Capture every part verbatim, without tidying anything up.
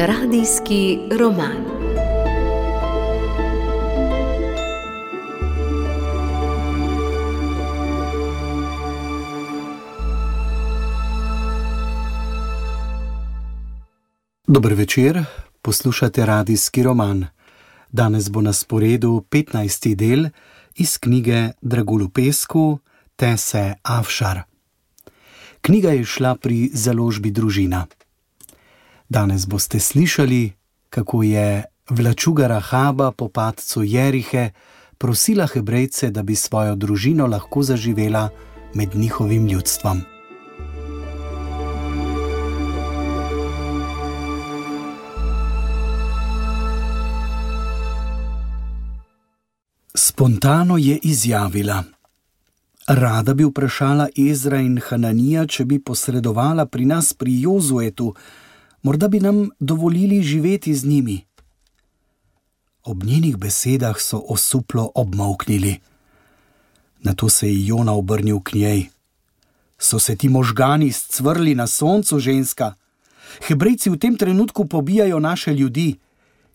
Radijski roman. Dober večer, poslušate Radijski roman. Danes bo na sporedu petnajsti del iz knjige Dragulj v pesku Tese Afšar. Knjiga je šla pri založbi Družina. Danes boste slišali, kako je vlačuga Rahaba po padcu Jerihe prosila Hebrejce, da bi svojo družino lahko zaživela med njihovim ljudstvom. Spontano je izjavila: Rada bi vprašala Ezra in Hananija, če bi posredovala pri nas pri Jozuetu, morda bi nam dovolili živeti z njimi. Ob njenih besedah so osuplo obmolknili. Nato se je Jona obrnil k njej. So se ti možgani scvrli na soncu, ženska? Hebrejci v tem trenutku pobijajo naše ljudi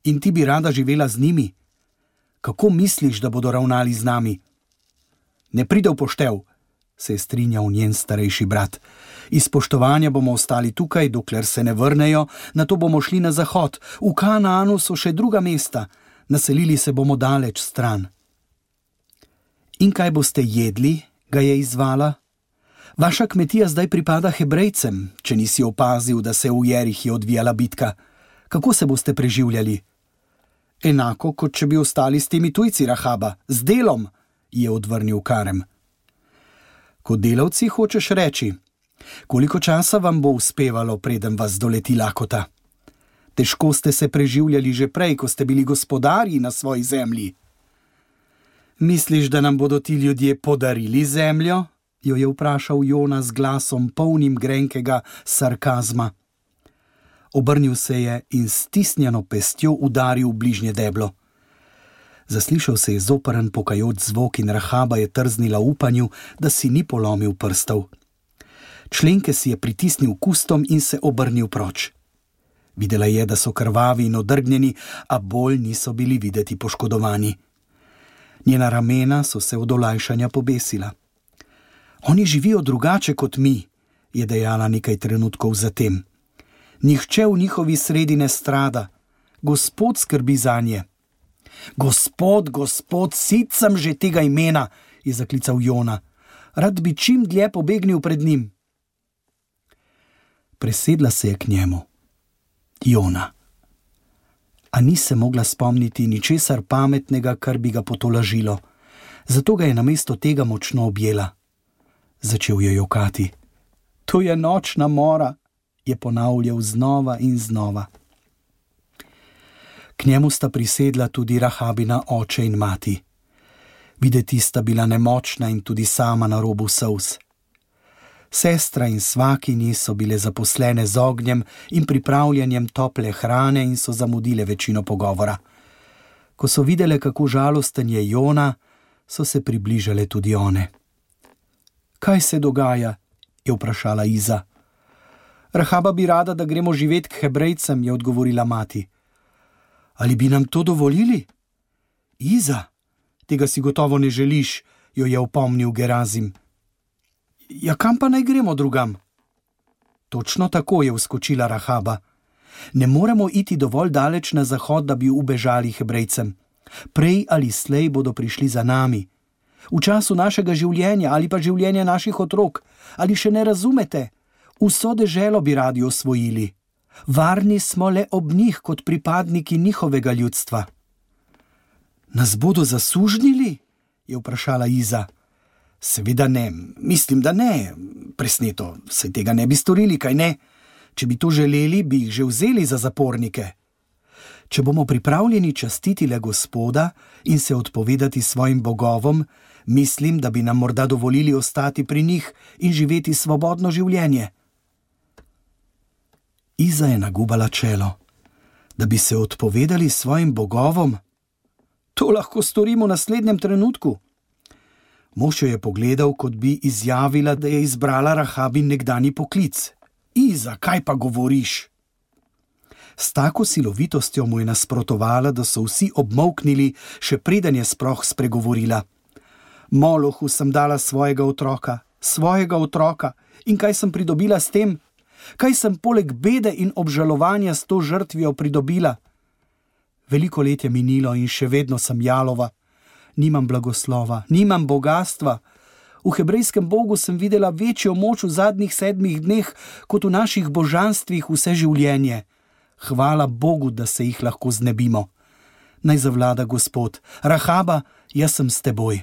in ti bi rada živela z njimi. Kako misliš, da bodo ravnali z nami? Ne pride v poštev, se je strinjal njen starejši brat. Iz spoštovanja bomo ostali tukaj, dokler se ne vrnejo, nato bomo šli na zahod. V Kanaanu so še druga mesta, naselili se bomo daleč stran. In kaj boste jedli, ga je izzvala? Vaša kmetija zdaj pripada Hebrejcem, če nisi opazil, da se v Jerihi odvijala bitka. Kako se boste preživljali? Enako, kot če bi ostali s temi tujci, Rahaba, z delom, je odvrnil Karem. Kot delavci hočeš reči, koliko časa vam bo uspevalo, preden vas doleti lakota? Težko ste se preživljali že prej, ko ste bili gospodarji na svoji zemlji. Misliš, da nam bodo ti ljudje podarili zemljo? Jo je vprašal Jona z glasom polnim grenkega sarkazma. Obrnil se je in s stisnjeno pestjo udaril v bližnje deblo. Zaslišal se je zoprn pokajoč zvok in Rahaba je trznila v upanju, da si ni polomil prstov. Členke si je pritisnil kustom in se obrnil proč. Videla je, da so krvavi in odrgnjeni, a bolj niso bili videti poškodovani. Njena ramena so se od olajšanja pobesila. Oni živijo drugače kot mi, je dejala nekaj trenutkov zatem. Nihče v njihovi sredi ne strada. Gospod skrbi zanje. Gospod, gospod, sit sem že tega imena, je zaklical Jona. Rad bi čim dlje pobegnil pred njim. Presedla se je k njemu. Jona. A ni se mogla spomniti ničesar pametnega, kar bi ga potolažilo. Zato ga je namesto tega močno objela. Začel je jokati. To je nočna mora, je ponavljal znova in znova. K njemu sta prisedla tudi Rahabina oče in mati. Videti sta bila nemočna in tudi sama na robu solz. Sestra in svakinji so bile zaposlene z ognjem in pripravljanjem tople hrane in so zamudile večino pogovora. Ko so videle, kako žalosten je Jona, so se približale tudi one. Kaj se dogaja? Je vprašala Iza. Rahaba bi rada, da gremo živet k Hebrejcem, je odgovorila mati. Ali bi nam to dovolili? Iza, tega si gotovo ne želiš, jo je opomnil Gerazim. Ja, kam pa naj gremo drugam? Točno tako, je vskočila Rahaba. Ne moremo iti dovolj daleč na zahod, da bi ubežali Hebrejcem. Prej ali slej bodo prišli za nami. V času našega življenja ali pa življenja naših otrok. Ali še ne razumete? Vso deželo bi radi osvojili. Varni smo le ob njih kot pripadniki njihovega ljudstva. Nas bodo zasužnjili? Je vprašala Iza. Seveda ne, mislim, da ne. Presneto, saj tega ne bi storili, kaj ne? Če bi to želeli, bi jih že vzeli za zapornike. Če bomo pripravljeni častiti le Gospoda in se odpovedati svojim bogovom, mislim, da bi nam morda dovolili ostati pri njih in živeti svobodno življenje. Iza je nagubala čelo. Da bi se odpovedali svojim bogovom? To lahko storimo v naslednjem trenutku. Mož jo je pogledal, kot bi izjavila, da je izbrala Rahabin nekdanji poklic. Iza, kaj pa govoriš? S tako silovitostjo mu je nasprotovala, da so vsi obmolknili, še preden je sploh spregovorila. Molohu sem dala svojega otroka, svojega otroka, in kaj sem pridobila s tem? Kaj sem poleg bede in obžalovanja s to žrtvijo pridobila? Veliko let je minilo in še vedno sem jalova. Nimam blagoslova, nimam bogastva. V hebrejskem bogu sem videla večjo moč v zadnjih sedmih dneh, kot v naših božanstvih vse življenje. Hvala Bogu, da se jih lahko znebimo. Naj zavlada Gospod. Rahaba, jaz sem s teboj.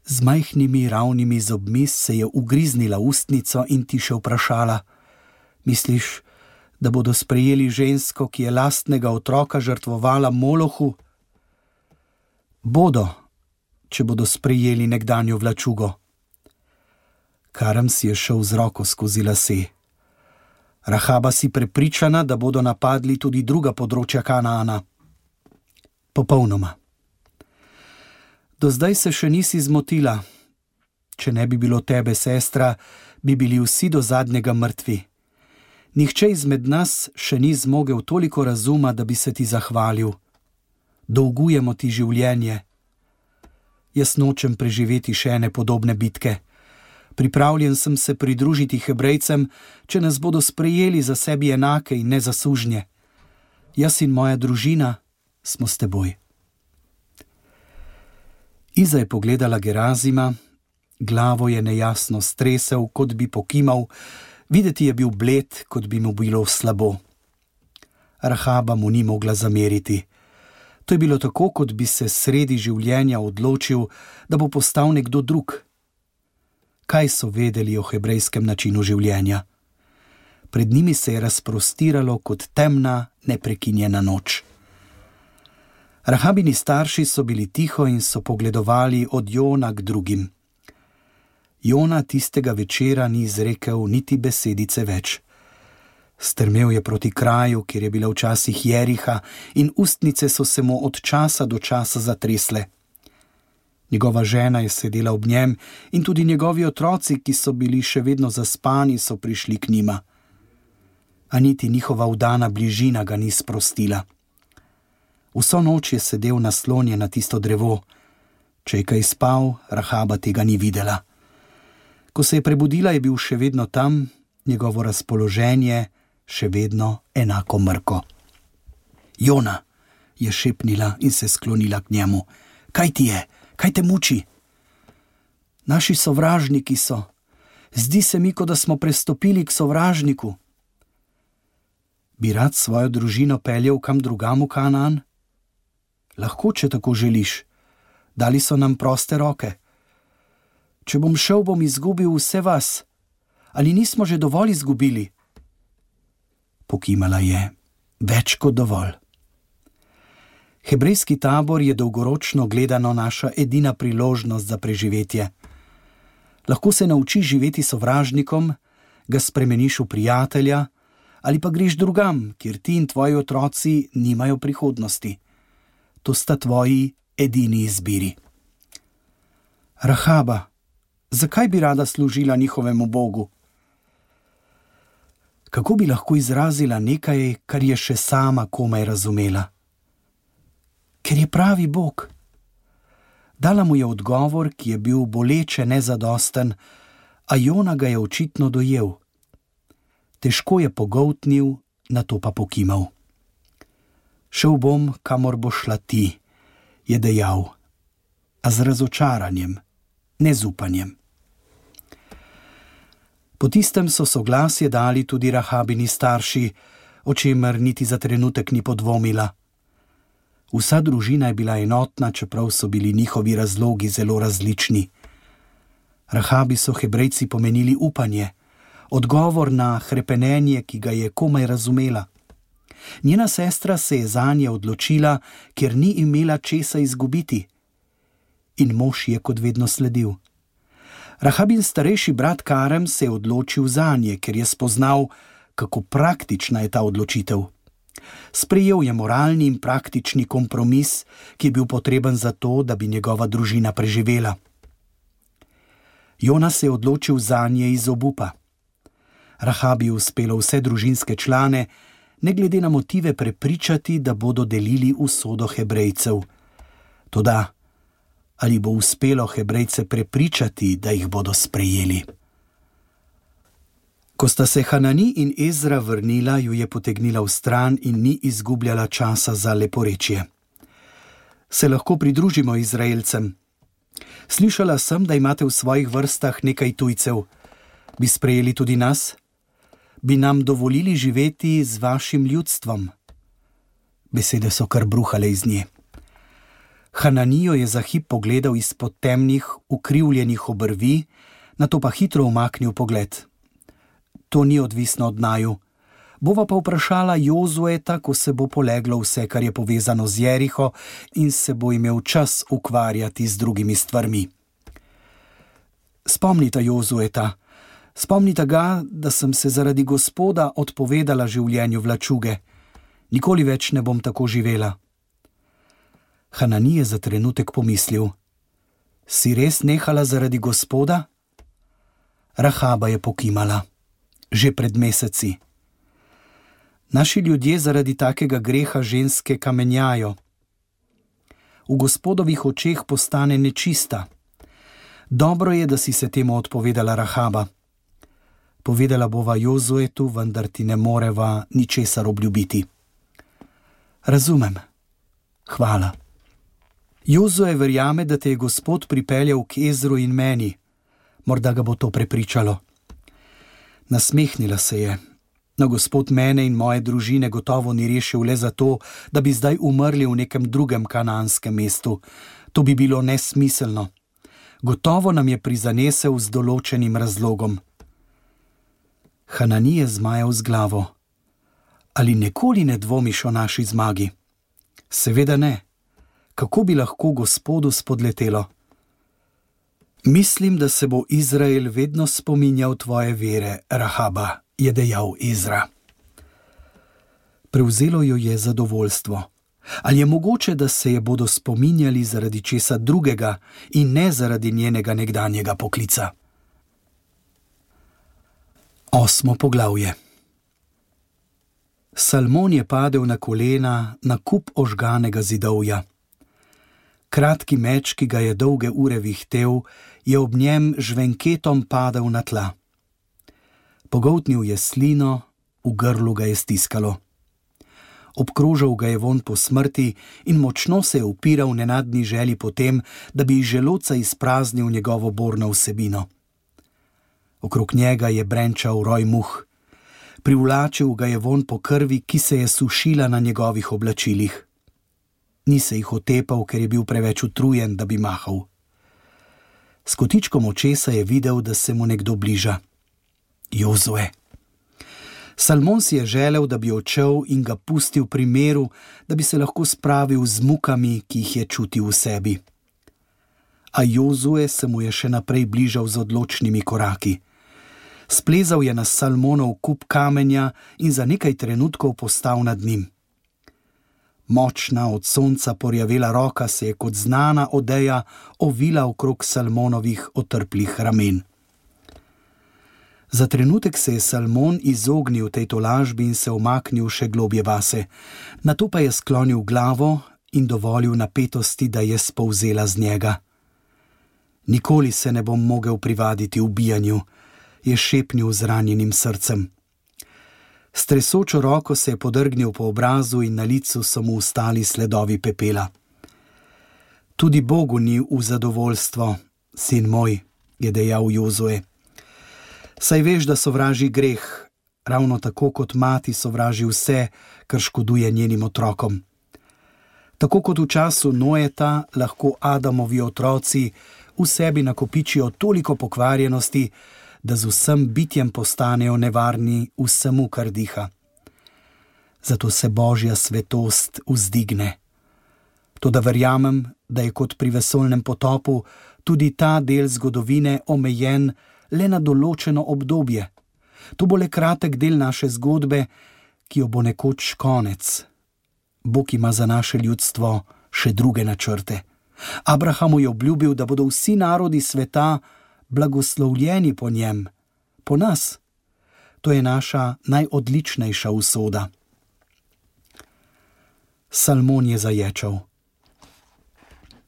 Z majhnimi ravnimi zobmi se je ugriznila ustnico in tiše vprašala. Misliš, da bodo sprejeli žensko, ki je lastnega otroka žrtvovala Molohu? Bodo, če bodo sprejeli nekdanjo vlačugo. Karem si je šel z roko skozi lase. Rahaba si prepričana, da bodo napadli tudi druga področja Kanaana. Popolnoma. Do zdaj se še nisi zmotila. Če ne bi bilo tebe, sestra, bi bili vsi do zadnjega mrtvi. Nihče izmed nas še ni zmogel toliko razuma, da bi se ti zahvalil. Dolgujemo ti življenje. Jaz nočem preživeti še ene podobne bitke. Pripravljen sem se pridružiti Hebrejcem, če nas bodo sprejeli za sebi enake in ne za sužnje. Jaz in moja družina smo s teboj. Iza je pogledala Gerazima, glavo je nejasno stresel, kot bi pokimal, videti je bil bled, kot bi mu bilo slabo. Rahaba mu ni mogla zameriti. To je bilo tako, kot bi se sredi življenja odločil, da bo postal nekdo drug. Kaj so vedeli o hebrejskem načinu življenja? Pred njimi se je razprostiralo kot temna, neprekinjena noč. Rahabini starši so bili tiho in so pogledovali od Jona k drugim. Jona tistega večera ni izrekel niti besedice več. Strmel je proti kraju, kjer je bila včasih Jeriha, in ustnice so se mu od časa do časa zatresle. Njegova žena je sedela ob njem in tudi njegovi otroci, ki so bili še vedno zaspani, so prišli k njima. A niti njihova vdana bližina ga ni sprostila. Vso noč je sedel naslonjen na tisto drevo. Če je kaj spal, Rahaba tega ni videla. Ko se je prebudila, je bil še vedno tam, njegovo razpoloženje še vedno enako mrko. Jona, je šepnila in se sklonila k njemu. Kaj ti je? Kaj te muči? Naši sovražniki so. Zdi se mi, kot da smo prestopili k sovražniku. Bi rad svojo družino peljal kam drugam v Kanaan? Lahko, če tako želiš. Dali so nam proste roke. Če bom šel, bom izgubil vse vas. Ali nismo že dovolj izgubili? Pokimala je. Več kot dovolj. Hebrejski tabor je dolgoročno gledano naša edina priložnost za preživetje. Lahko se naučiš živeti sovražnikom, ga spremeniš v prijatelja, ali pa greš drugam, kjer ti in tvoji otroci nimajo prihodnosti. To sta tvoji edini izbiri. Rahaba, zakaj bi rada služila njihovemu Bogu? Kako bi lahko izrazila nekaj, kar je še sama komaj razumela? Ker je pravi Bog. Dala mu je odgovor, ki je bil boleče nezadosten, a Jona ga je očitno dojel. Težko je pogoltnil, nato pa pokimal. Šel bom, kamor bo šla ti, je dejal, a z razočaranjem, ne z upanjem. Po tistem so soglasje dali tudi Rahabini starši, o čemer niti za trenutek ni podvomila. Vsa družina je bila enotna, čeprav so bili njihovi razlogi zelo različni. Rahabi so Hebrejci pomenili upanje, odgovor na hrepenenje, ki ga je komaj razumela. Njena sestra se je zanje odločila, ker ni imela česa izgubiti. In mož je kot vedno sledil. Rahabin starejši brat Karem se je odločil zanje, ker je spoznal, kako praktična je ta odločitev. Sprejel je moralni in praktični kompromis, ki je bil potreben za to, da bi njegova družina preživela. Jona se je odločil zanje iz obupa. Rahabi je uspelo vse družinske člane, ne glede na motive prepričati, da bodo delili usodo Hebrejcev. Toda, ali bo uspelo Hebrejce prepričati, da jih bodo sprejeli? Ko sta se Hanani in Ezra vrnila, ju je potegnila v stran in ni izgubljala časa za leporečje. Se lahko pridružimo Izraelcem? Slišala sem, da imate v svojih vrstah nekaj tujcev. Bi sprejeli tudi nas? Bi nam dovolili živeti z vašim ljudstvom? Besede so kar bruhale iz nje. Hananijo je za hip pogledal izpod temnih, ukrivljenih obrvi, nato pa hitro umaknil pogled. To ni odvisno od naju. Bova pa vprašala Jozueta, ko se bo poleglo vse, kar je povezano z Jeriho in se bo imel čas ukvarjati z drugimi stvarmi. Spomnita Jozueta. Spomnita ga, da sem se zaradi Gospoda odpovedala življenju vlačuge. Nikoli več ne bom tako živela. Hanani je za trenutek pomislil. Si res nehala zaradi Gospoda? Rahaba je pokimala. Že pred meseci. Naši ljudje zaradi takega greha ženske kamenjajo. V Gospodovih očeh postane nečista. Dobro je, da si se temu odpovedala, Rahaba. Povedala bova Jozuetu, vendar ti ne moreva ničesar obljubiti. Razumem. Hvala. Jozue verjame, da te je Gospod pripeljal k Ezru in meni. Morda ga bo to prepričalo. Nasmehnila se je. No, Gospod mene in moje družine gotovo ni rešil le zato, da bi zdaj umrli v nekem drugem kananskem mestu. To bi bilo nesmiselno. Gotovo nam je prizanesel z določenim razlogom. Hanani je zmajal z glavo. Ali nikoli ne dvomiš o naši zmagi? Seveda ne. Kako bi lahko Gospodu spodletelo? Mislim, da se bo Izrael vedno spominjal tvoje vere, Rahaba, je dejal Ezra. Prevzelo jo je zadovoljstvo. Ali je mogoče, da se je bodo spominjali zaradi česa drugega in ne zaradi njenega nekdanjega poklica? Osmo poglavje. Salmon je padel na kolena na kup ožganega zidovja. Kratki meč, ki ga je dolge ure vihtel, je ob njem žvenketom padal na tla. Pogoltnil je slino, v grlu ga je stiskalo. Obkrožal ga je vonj po smrti in močno se je upiral nenadni želji po tem, da bi iz želodca izpraznil njegovo borno vsebino. Okrog njega je brenčal roj muh. Privlačil ga je vonj po krvi, ki se je sušila na njegovih oblačilih. Ni se jih otepal, ker je bil preveč utrujen, da bi mahal. S kotičkom očesa je videl, da se mu nekdo bliža. Jozue. Salmon si je želel, da bi odšel in ga pustil pri miru, da bi se lahko spravil z mukami, ki jih je čutil v sebi. A Jozue se mu je še naprej bližal z odločnimi koraki. Splezal je na Salmonov kup kamenja in za nekaj trenutkov postal nad njim. Močna, od sonca porjavela roka se je kot znana odeja ovila okrog Salmonovih otrplih ramen. Za trenutek se je Salmon izognil tej tolažbi in se umaknil še globje vase, nato pa je sklonil glavo in dovolil napetosti, da je spolzela z njega. Nikoli se ne bom mogel privaditi ubijanju, je šepnil z ranjenim srcem. S tresočo roko se je podrgnil po obrazu in na licu so mu ostali sledovi pepela. Tudi Bogu ni v zadovoljstvo, sin moj, je dejal Jozue. Saj veš, da sovraži greh, ravno tako kot mati sovraži vse, kar škoduje njenim otrokom. Tako kot v času Noeta lahko Adamovi otroci v sebi nakopičijo toliko pokvarjenosti, da z vsem bitjem postanejo nevarni vsemu, kar diha. Zato se Božja svetost vzdigne. Toda verjamem, da je kot pri vesoljnem potopu tudi ta del zgodovine omejen le na določeno obdobje. To bo le kratek del naše zgodbe, ki jo bo nekoč konec. Bog ima za naše ljudstvo še druge načrte. Abrahamu je obljubil, da bodo vsi narodi sveta blagoslovljeni po njem, po nas. To je naša najodličnejša usoda. Salmon je zaječal.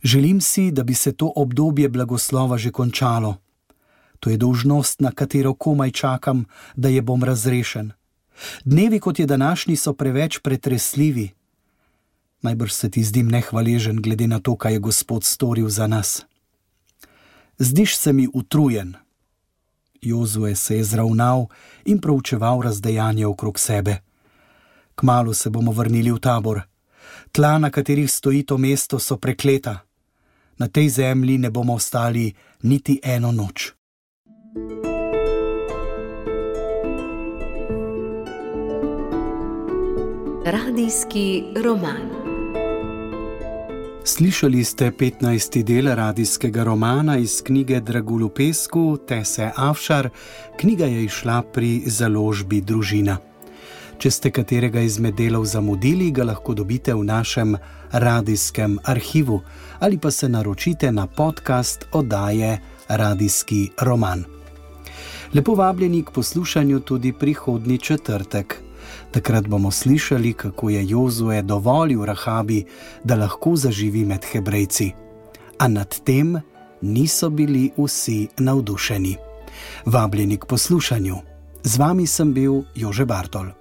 Želim si, da bi se to obdobje blagoslova že končalo. To je dolžnost, na katero komaj čakam, da je bom razrešen. Dnevi, kot je današnji, so preveč pretresljivi. Najbrž se ti zdim nehvaležen, glede na to, kaj je Gospod storil za nas. Zdiš se mi utrujen. Jozue se je zravnal in proučeval razdejanje okrog sebe. Kmalu se bomo vrnili v tabor. Tla, na katerih stoji to mesto, so prekleta. Na tej zemlji ne bomo ostali niti eno noč. Radijski roman. Slišali ste petnajsti del radijskega romana iz knjige Dragulj v pesku Tese Afšar. Knjiga je izšla pri založbi Družina. Če ste katerega izmed delov zamudili, ga lahko dobite v našem radijskem arhivu ali pa se naročite na podcast oddaje Radijski roman. Lepo vabljeni k poslušanju tudi prihodnji četrtek. Takrat bomo slišali, kako je Jozue dovolil Rahabi, da lahko zaživi med Hebrejci. A nad tem niso bili vsi navdušeni. Vabljeni k poslušanju. Z vami sem bil Jože Bartol.